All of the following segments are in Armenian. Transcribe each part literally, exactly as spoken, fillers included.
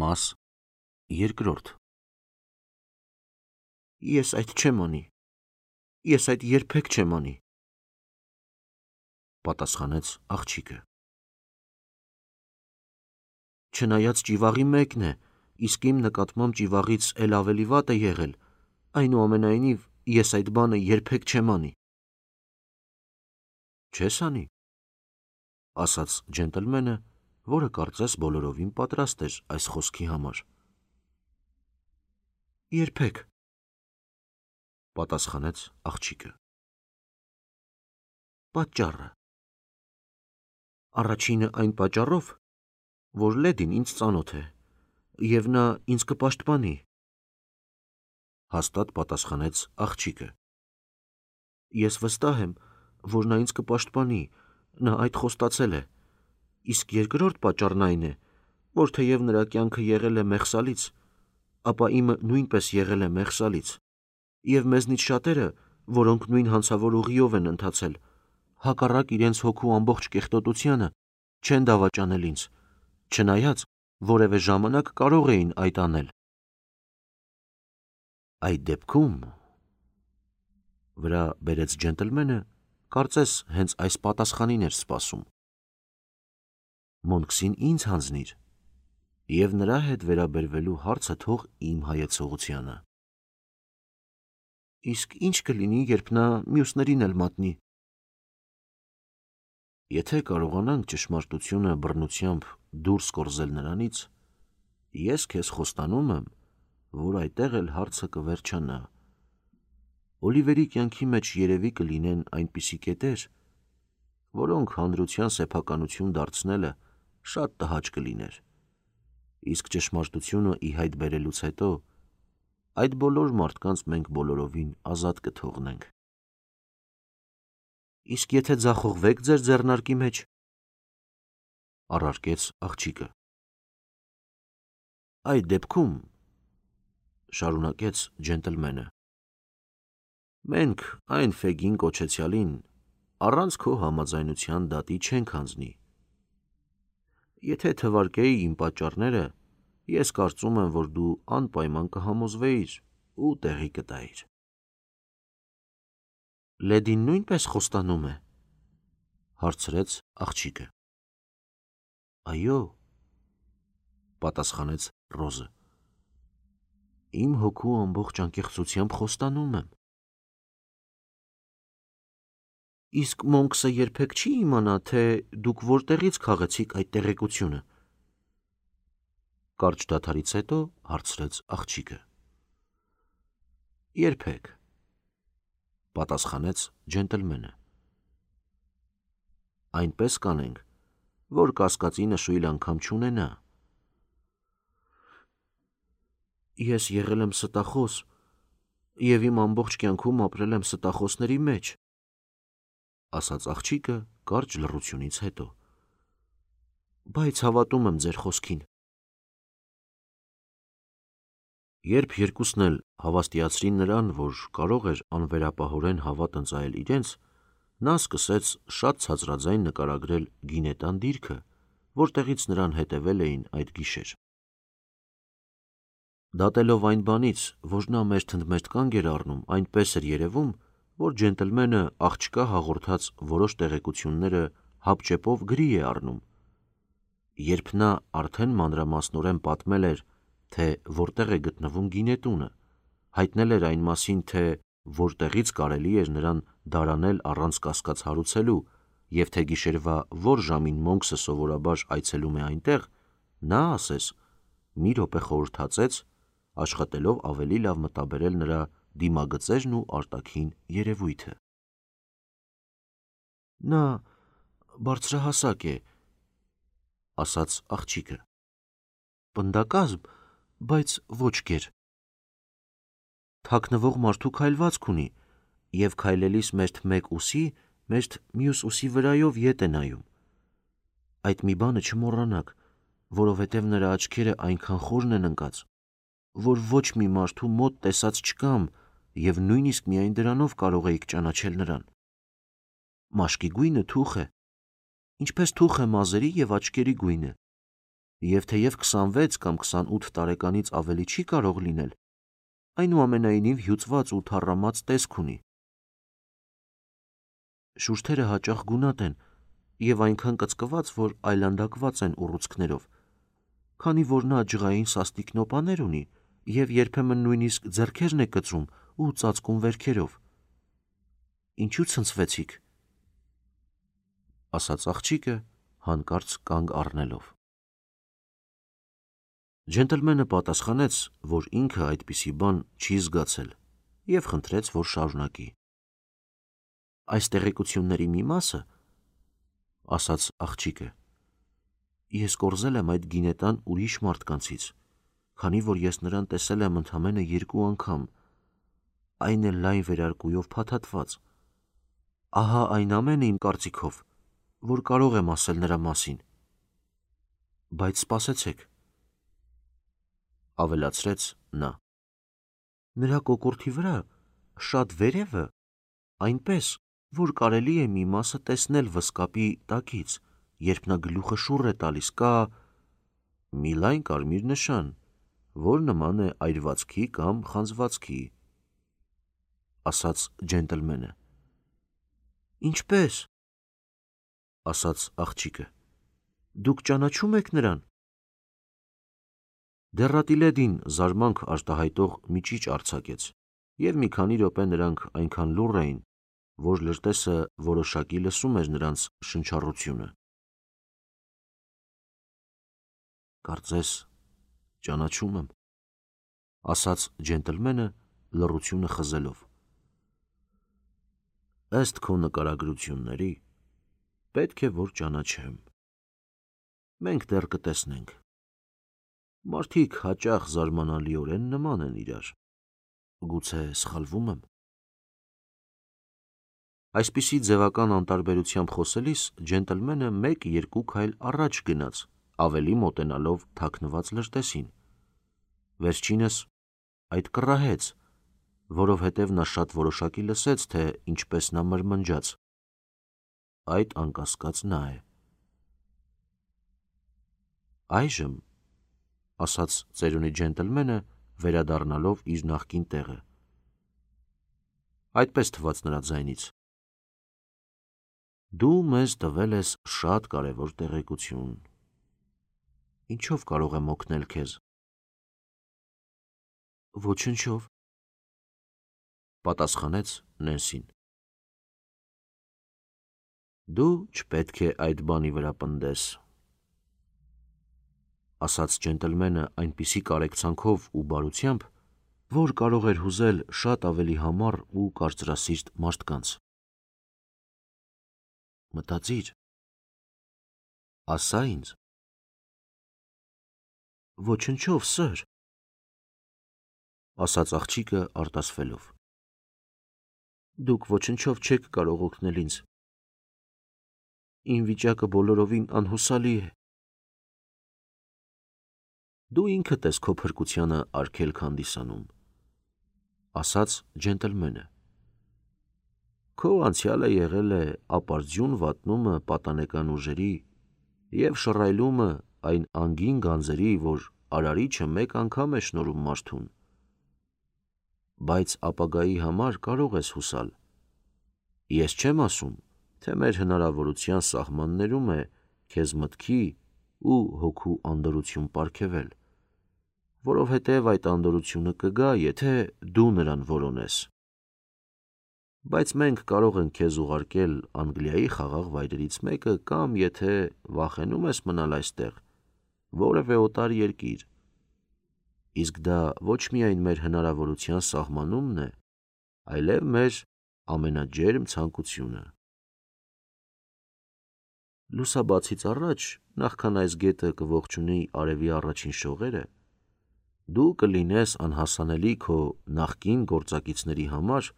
Մաս երկրորդ Ես այդ չեմ անի, ես այդ երբեք չեմ անի, պատասխանեց աղջիկը։ Չնայած ճիվաղի մեկն է, իսկ իմ նկատմամբ ճիվաղից էլ ավելի վատ է եղել, այնուամենայնիվ ես այդ բանը երբեք չեմ անի։ Չես անի, ասաց ջենտլմենը, որը կարծես բոլորովին պատրաստ էր այս խոսքի համար։ Երբեք, պատասխանեց աղջիկը։ Պատճառը։ Առաջինը այն պատճառով, որ Լեդին ինձ ծանոթ է, և նա ինձ կպաշտպանի, հաստատ պատասխանեց աղջիկը։ Ես վստահ եմ, որ նա ինձ կպաշտպանի, նա այդ խոստացել է, իսկ երկրորդ պատճառն այն է, որ թեև նրա կյանքը եղել է մեղսալից, ապա իմը նույնպես եղել է մեղսալից, և մեզնից շատերը, որոնք նույն հանցավոր ուղիով են ընթացել, հակառակ իրենց հոգու ամբողջ կեղտոտությանը, չեն դավաճանել ինձ, չնայած որևէ ժամանակ կարող էին այդ անել։ Այդ դեպքում, վրա բերեց ջենտլմենը, կարծես հենց այս պատասխանին էր սպասում։ Մոնքսին ինձ հանձնիր, և նրա հետ վերաբերվելու հարցը թող իմ հայեցողությանը։ Իսկ ինչ կլինի, երբ նա մյուսներին էլ մատնի։ Եթե կարողանանք ճշմարտությունը բռնությամբ դուրս կորզել նրանից, ես քեզ խոստանում եմ, որ այդտեղ էլ հարցը կվերջանա։ Օլիվերի կյանքի մեջ երևի կլինեն այնպիսի կետեր, որոնք հանրության սեփականություն դարձնելը շատ տհաճ կլիներ, իսկ ճշմարտությունը ի հայտ բերելուց հետո այդ բոլոր մարդկանց մենք բոլորովին ազատ կթողնենք։ Իսկ եթե ձախողվեք ձեր ձեռնարկի մեջ, առարկեց աղջիկը։ Այդ դեպքում, շարունակեց ջենտլմենը, մենք այն Ֆեգին կոչեցյալին առանց քո համաձայնության դատի չենք հանձնի։ Եթե թվարկեի իմ պատճառները, ես կարծում եմ, որ դու անպայման կհամոզվեիր ու տեղի կտայիր։ Լեդին նույնպես խոստանում է, հարցրեց աղջիկը։ Այո, պատասխանեց Ռոզը։ Իմ հոգու ամբողջ անկեղծությամբ խոստանում եմ։ Իսկ Մոնքսը երբեք չի իմանա, թե դուք որտեղից քաղեցիք այդ տեղեկությունը։ Կարճ դադարից հետո հարցրեց աղջիկը։ Երբեք, պատասխանեց ջենտլմենը։ Այնպես կանենք, որ կասկածի նշույլ անգամ չունենա։ Ես եղել եմ ստախոս, և իմ ամբողջ կյանքում ապրել եմ ստախոսների մեջ, ասաց աղջիկը կարճ լռությունից հետո։ Բայց հավատում եմ ձեր խոսքին։ Երբ երկուսն էլ հավաստիացրին նրան, որ կարող էր անվերապահորեն հավատ ընծայել իրենց, նա սկսեց շատ ցածրաձայն նկարագրել գինետան դիրքը, որտեղից նրան հետևել էին այդ գիշեր։ Դատելով այն բանից, որ նա մերթընդմերթ կանգ էր առնում, այնպես էր երևում, որ ջենտլմենը աղջկա հաղորդած որոշ տեղեկությունները հապճեպով գրի է առնում։ Երբ նա արդեն մանրամասնորեն պատմել էր, թե որտեղ է գտնվում գինետունը, հայտնել էր այն մասին, թե որտեղից կարելի էր նրան դարանել առանց կասկած հարուցելու, և թե գիշերվա որ ժամին Մոնքսը սովորաբար այցելում է այնտեղ, նա ասես մի րոպե խորհրդածեց, աշխատելով ավելի լավ մտաբերել նրա դիմագծերն ու արտաքին երևույթը։ Նա բարձրահասակ է, ասաց աղջիկը, պնդակազմ, բայց ոչ գեր։ Թաքնվող մարդու քայլվածք ունի, և քայլելիս մերթ մեկ ուսի, մերթ մյուս ուսի վրայով ետ է նայում։ Այդ մի բանը չմոռանաք, որովհետև նրա աչքերը այնքան խորն են ընկած, որ ոչ մի մարդու մոտ տեսած չկամ, և նույնիսկ միայն դրանով կարող էիք ճանաչել նրան։ Մաշկի գույնը թուխ է, ինչպես թուխ է մազերի և աչքերի գույնը, Եվ թեև քսանվեց կամ քսանութ տարեկանից ավելի չի կարող լինել, այնուամենայնիվ հյուծված ու թառամած տեսք ունի։ Շուրթերը հաճախ գունատ են և այնքան կծկված, որ այլանդակված են ուռուցքներով, քանի որ նա ջղային սաստիկ նոպաներ ունի և երբեմն նույնիսկ ձեռքերն է կծում ու ծածկում վերքերով։ Ինչու ցնցվեցիք, ասաց աղջիկը հանկարծ կանգ առնելով։ Ջենտլմենը պատասխանեց, որ ինքը այդպիսի բան չի զգացել և խնդրեց, որ շարունակի։ Այս տեղեկությունների մի մասը, ասաց աղջիկը, ես կորզել եմ այդ գինետան ուրիշ մարդկանցից, քանի որ ես նրան տեսել եմ ընդամենը երկու անգամ, այն էլ լայն վերարկուով փաթաթված։ Ահա այն ամենը իմ կարծիքով, որ կարող եմ ասել նրա մասին։ Բայց սպասեցեք, ավելացրեց նա։ Նրա կոկորդի վրա շատ վերևը, այնպես, որ կարելի է մի մասը տեսնել վսկապի տակից, երբ նա գլուխը շուռ է տալիս, կա մի լայն կարմիր նշան, որ նման է այրվածքի կամ խանձվածքի, ասաց ջենտլմենը։ Ինչպե՞ս, ասաց աղջիկը, դուք ճանաչում եք նրան։ Դեռատիլեդին զարմանք արտահայտող մի ճիչ արձակեց, և մի քանի րոպե նրանք այնքան լուռ էին, որ լրտեսը որոշակի լսում էր նրանց շնչառությունը։ Կարծես ճանաչում եմ, ասաց ջենտլմենը լռությունը խզելով։ Ըստ քո նկարագրությունների, պետք է որ ճանաչեմ։ Մենք դեռ կտեսնենք։ Մարդիկ հաճախ զարմանալիորեն նման են իրար։ Գուցե սխալվում եմ։ Այսպիսի ձևական անտարբերությամբ խոսելիս ջենտլմենը մեկ-երկու քայլ առաջ գնաց, ավելի մոտենալով թաքնված լրտեսին։ Վերջինս այդ կռահեց, որովհետև նա շատ որոշակի լսեց, թե ինչպես նա մրմնջաց. այդ անկասկած նա է։ Այժմ, ասաց ծերունի ջենտլմենը, վերադառնալով իր նախկին տեղը։ Այդպես թվաց նրա ձայնից։ Դու մեզ տվել ես շատ կարևոր տեղեկություն։ Ինչով կարող եմ օգնել քեզ։ Ոչնչով, պատասխանեց Նենսին։ Դու չպետք է այդ բանի վրա պնդես, ասաց ջենտլմենը այնպիսի կարեկցանքով ու բարությամբ, որ կարող էր հուզել շատ ավելի համառ ու կարծրասիրտ մարդկանց։ Մտածիր, ասա ինձ։ Ոչնչով, սըր, ասաց աղջիկը արտասվելով։ Դուք ոչնչով չեք կարող օգնել ինձ։ Իմ վիճակը բոլորովին անհուսալի է։ Դու ինքդ ես քո փրկությանը արգելք հանդիսանում, ասաց ջենտլմենը։ Քո անցյալը եղել է ապարդյուն վատնումը պատանեկան ուժերի և շռայլումը այն անգին գանձերի, որ արարիչը մեկ անգամ է շնորհում մարդուն։ Բայց ապագայի համար կարող ես հուսալ։ Ես չեմ ասում, թե մեր հնարավորության սահմաններում է քեզ մտքի ու հոգու անդորրություն պարգևել, որովհետև այդ անդորրությունը կգա, եթե դու նրան որոնես։ Բայց մենք կարող ենք քեզ ուղարկել Անգլիայի խաղաղ վայրերից մեկը կամ, եթե վախենում ես մնալ այստեղ, որևէ օտար երկիր։ Իսկ դա ոչ միայն մեր հնարավորության սահմանումն է, այլև մեր ամենաջերմ ցանկությունը։ Լուսաբացից առաջ, նախքան այս գետը կողջունի արևի առաջին շողերը, դու կլինես անհասանելի քո նախկին գործակիցների համար,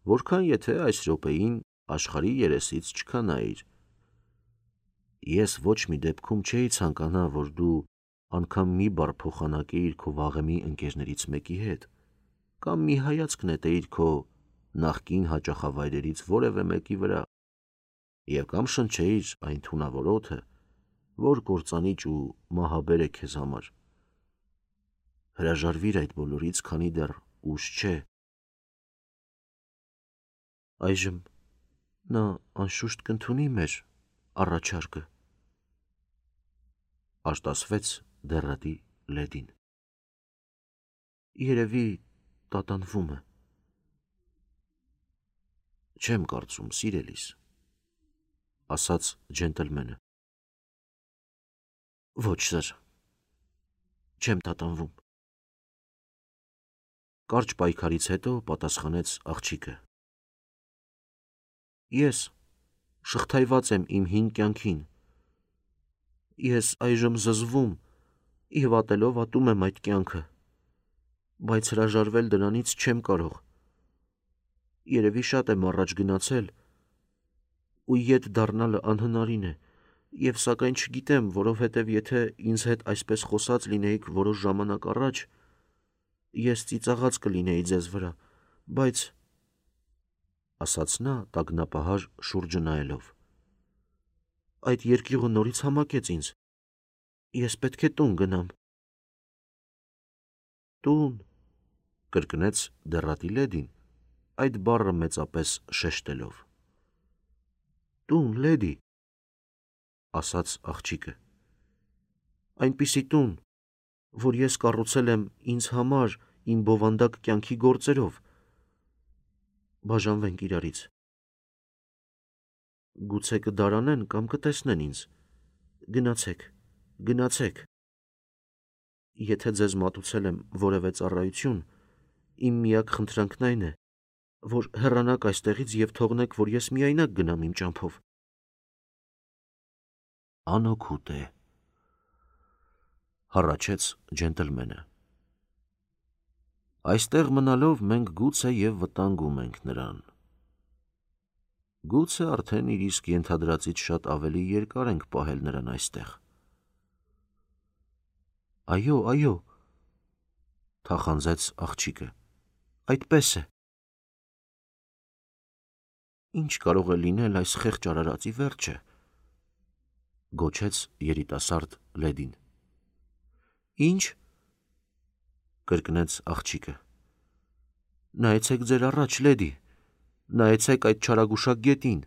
որքան եթե այս րոպեին աշխարհի երեսից չքանայիր։ Ես ոչ մի դեպքում չէի ցանկանա, որ դու անգամ մի բառ փոխանակեիր քո վաղեմի ընկերներից մեկի հետ, կամ մի հայացք նետեիր քո նախկին հաճախավայրերից որևէ մեկի վրա, և կամ շնչեիր այն թունավոր օդը, որ կործանիչ ու մահաբեր է քեզ համար։ Հրաժարվիր այդ բոլորից, քանի դեռ ուշ չէ։ Այժմ նա անշուշտ կընդունի մեր առաջարկը, արտասվեց դեռատի Լեդին։ Երևի տատանվում է։ Չեմ կարծում, սիրելիս, ասաց ջենտլմենը։ Ոչ, սր, չեմ տատանվում։ Կարճ պայքարից հետո պատասխանեց աղջիկը։ Ես շղթայված եմ իմ հին կյանքին։ Ես այժմ զզվում և ատելով ատում եմ այդ կյանքը, բայց հրաժարվել դրանից չեմ կարող։ Երևի շատ եմ առաջ գնացել, ու ետ դառնալը անհնարին է, և սակայն չգիտեմ, որովհետև եթե ինձ հետ այսպես խոսած լինեիք որոշ ժամանակ առաջ, ես ծիծաղած կլինեի ձեզ վրա, բայց, ասաց նա տագնապահար շուրջը նայելով, այդ երկյուղը նորից համակեց ինձ, ես պետք է տուն գնամ։ Տուն, կրկնեց դեռատի Լեդին, այդ բառը մեծապես շեշտելով։ Տուն, Լեդի, ասաց աղջիկը, այնպիսի տուն, որ ես կառուցել եմ ինձ համար իմ բովանդակ կյանքի գործերով։ Բաժանվենք իրարից։ Գուցե կդարանեն կամ կտեսնեն ինձ։ Գնացեք, գնացեք։ Եթե ձեզ մատուցել եմ որևէ ծառայություն, իմ միակ խնդրանքն այն է, որ հեռանաք այստեղից և թողնեք, որ ես միայնակ գնամ իմ ճամփով։ Անօգուտ է, հառաչեց ջենտլմենը։ Այստեղ մնալով մենք գուցե և վտանգում ենք նրան։ Գուցե արդեն իր իսկ ենթադրածից շատ ավելի երկար ենք պահել նրան այստեղ։ Այո, այո, թախանձեց աղջիկը, այդպես է։ Ինչ կարող է լինել այս խեղճ արարածի վերջը, գոչեց երիտասարդ Լեդին։ Ինչ, կրկնեց աղջիկը։ Նայեցեք ձեր առաջ, Լեդի, նայեցեք այդ չարագուշակ գետին։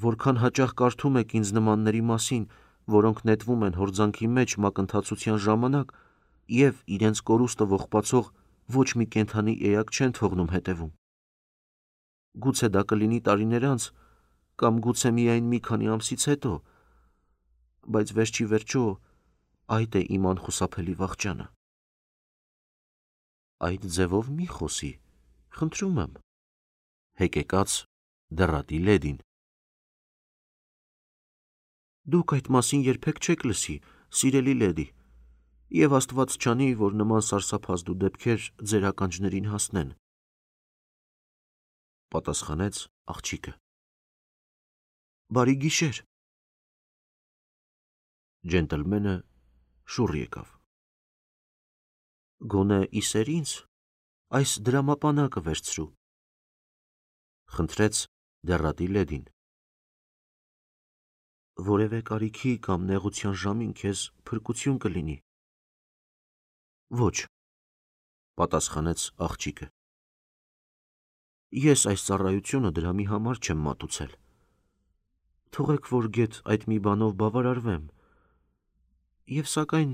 Որքան հաճախ կարդում եք ինձ նմանների մասին, որոնք նետվում են հորձանքի մեջ մակընթացության ժամանակ և իրենց կորուստը ողբացող ոչ մի կենդանի էակ չեն թողնում հետևում։ Գուցե դա կլինի տարիներ անց, կամ գուցե միայն մի քանի ամսից հետո, բայց վերջի վերջո այդ է իմ անխուսափելի վախճանը։ Այդ ձևով մի խոսի, խնդրում եմ, հեկեկաց դեռատի Լեդին։ Դուք այդ մասին երբեք չեք լսի, սիրելի Լեդի, և Աստված չանի, որ նման սարսափազդու դեպքեր ձեր ականջներին հասնեն, պատասխանեց աղջիկը։ Բարի գիշեր։ Ջենտլմենը շուռ եկավ։ Գոնե իսեր ինձ այս դրամապանակը վերցրու, խնդրեց դեռատի Լեդին։ Որևէ կարիքի կամ նեղության ժամին քեզ փրկություն կլինի։ Ոչ, պատասխանեց աղջիկը։ Ես այս ծառայությունը դրամի համար չեմ մատուցել։ Թողեք, որ գեթ այդ մի բանով բավարարվեմ, և սակայն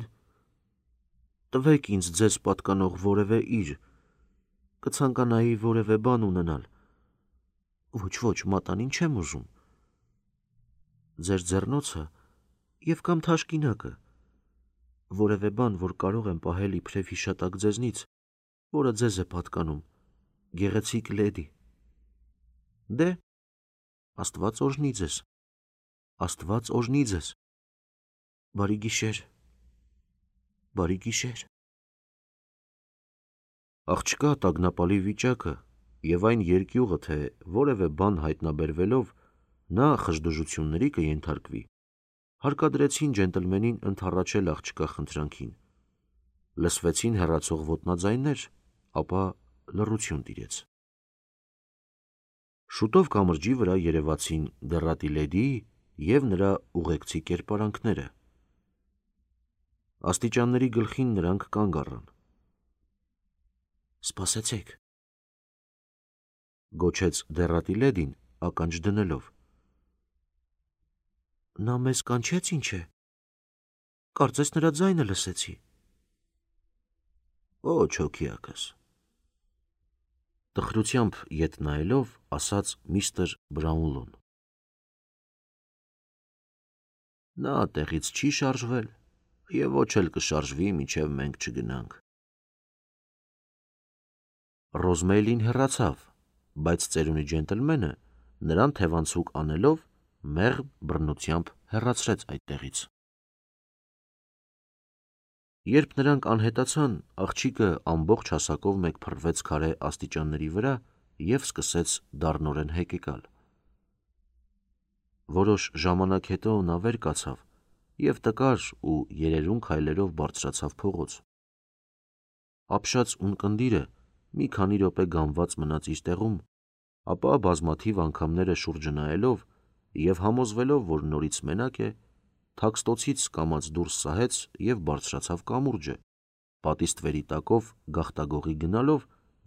տվեք ինձ ձեզ պատկանող որևէ իր, կցանկանայի որևէ բան ունենալ։ Ոչ, ոչ, մատանին չեմ ուզում։ Ձեր ձեռնոցը և կամ թաշկինակը, որևէ բան, որ կարող եմ պահել իբրև հիշատակ ձեզնից, որը ձեզ է պատկանում, գեղեցիկ Լեդի։ Դե, Աստված օրհնի ձեզ, Աստված օրհնի ձեզ։ Բարի գիշեր, բարի գիշեր։ Աղջկա տագնապալի վիճակը և այն երկյուղը, թե որևէ բան հայտնաբերվելով նա խժդժությունների կենթարկվի, հարկադրեցին ջենտլմենին ընդառաջել աղջկա խնդրանքին։ Լսվեցին հեռացող ոտնաձայներ, ապա լռություն տիրեց։ Շուտով կամրջի վրա երևացին դեռատի Լեդիի և նրա ուղեկցի կերպարանքները։ Աստիճանների գլխին նրանք կանգ առան։ «Սպասեցեք», գոչեց դեռատի լեդին ականջ դնելով։ «Նա մեզ կանչեց, ինչ է, կարծես նրա ձայնը լսեցի»։ «Ոչ, հոգիակս», տխրությամբ ետ նայելով ասաց միստր Բրաունլոն։ «Նա տեղից չի շարժվել և ոչ էլ կշարժվի, մինչև մենք չգնանք»։ Ռոզմեյլին հեռացավ, բայց ծերունի ջենտլմենը նրան թևանցուկ անելով մեղմ բռնությամբ հեռացրեց այդտեղից։ Երբ նրանք անհետացան, աղջիկը ամբողջ հասակով մեկ փռվեց քարե աստիճանների վրա և սկսեց դառնորեն հեկեկալ։ Որոշ ժամանակ հետո նա վեր կացավ և տկար ու երերուն քայլերով բարձրացավ փողոց։ Ապշած ունկնդիրը մի քանի րոպե գամված մնաց իր տեղում, ապա բազմաթիվ անգամները շուրջը նայելով և համոզվելով, որ նորից մենակ է, թաքստոցից կամաց դուրս սահեց և բարձրացավ կամուրջը, պատի ստվերի տակով գաղտագողի գնալով,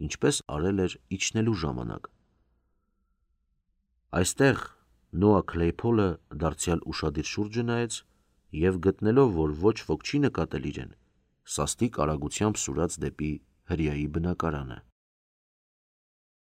ինչպես արել էր իջնելու ժամանակ։ Այստեղ Նոա Քլեյփոլը դարձյալ ուշադիր շուրջը նայեց և գտնելով, որ ոչ ոք չի նկատել իրեն, սաստիկ արագությամբ սուրաց դեպի հրեայի բնակարանը։